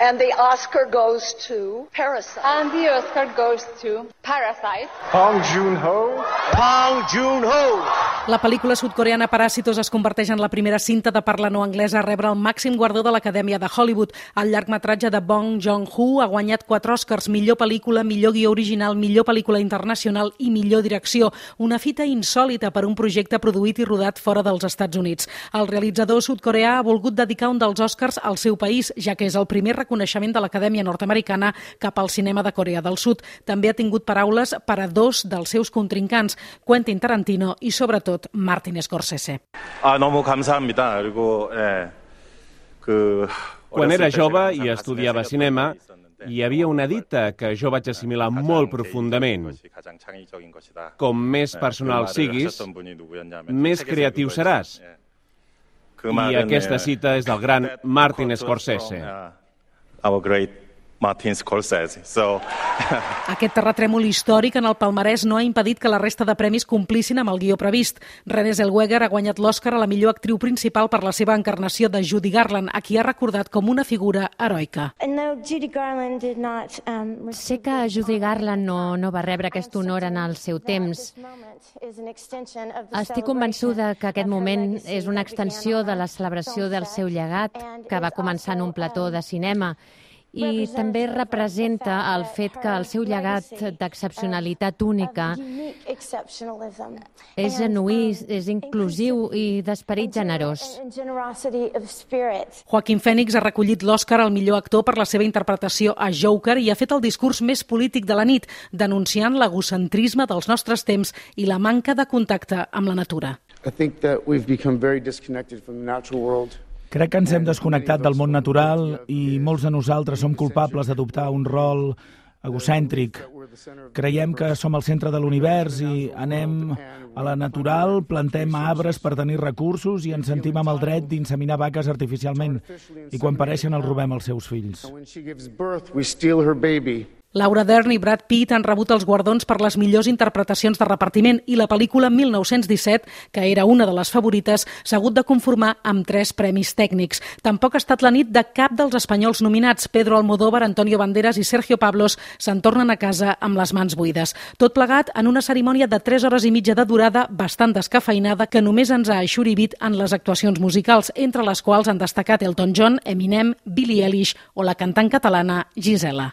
And the Oscar goes to Parasite. And the Oscar goes to Parasite. Bong Joon-ho. Bong Joon-ho. La pel·lícula sud-coreana Paràsitos es converteix en la primera cinta de parla no anglesa a rebre el màxim guardó de l'Acadèmia de Hollywood. El llargmetratge de Bong Joon-ho ha guanyat 4 Oscars: millor pel·lícula, millor guió original, millor pel·lícula internacional i millor direcció. Una fita insòlita per un projecte produït i rodat fora dels Estats Units. El realitzador sud-coreà ha volgut dedicar un dels Oscars al seu país, ja que és el primer reconeixement de l'Acadèmia nord-americana cap al cinema de Corea del Sud. També ha tingut paraules per a 2 dels seus contrincants, Quentin Tarantino i, sobretot, Martin Scorsese. 너무 감사합니다. 그리고 Quan era jove i estudiava cinema, hi havia una dita que jo vaig assimilar molt profundament. Com més personal siguis, més creatiu seràs. I aquesta cita és del gran Martin Scorsese. Our great Martin Scorsese. Aquest terratrèmol històric en el palmarès no ha impedit que la resta de premis complissin amb el guió previst. Renée Zellweger ha guanyat l'Oscar a la millor actriu principal per la seva encarnació de Judy Garland, a qui ha recordat com una figura heroica. Sé que Judy Garland no va rebre aquest honor en el seu temps. Estic convençuda que aquest moment és una extensió de la celebració del seu llegat, que va començar en un plató de cinema, i també representa el fet que el seu llegat d'excepcionalitat única és genuí, és inclusiu i d'esperit generós. Joaquin Phoenix ha recollit l'Oscar al millor actor per la seva interpretació a Joker i ha fet el discurs més polític de la nit, denunciant l'egocentrisme dels nostres temps i la manca de contacte amb la natura. Crec que ens hem desconnectat del món natural i molts de nosaltres som culpables d'adoptar un rol egocèntric. Creiem que som al centre de l'univers i anem a la natural, plantem arbres per tenir recursos i ens sentim amb el dret d'inseminar vaques artificialment. I quan pareixen els robem als seus fills. Laura Dern i Brad Pitt han rebut els guardons per les millors interpretacions de repartiment i la pel·lícula 1917, que era una de les favorites, s'ha hagut de conformar amb 3 premis tècnics. Tampoc ha estat la nit de cap dels espanyols nominats. Pedro Almodóvar, Antonio Banderas i Sergio Pablos se'n tornen a casa amb les mans buides. Tot plegat en una cerimònia de 3 hores i mitja de durada, bastant descafeinada, que només ens ha eixorivit en les actuacions musicals, entre les quals han destacat Elton John, Eminem, Billie Eilish o la cantant catalana Gisela.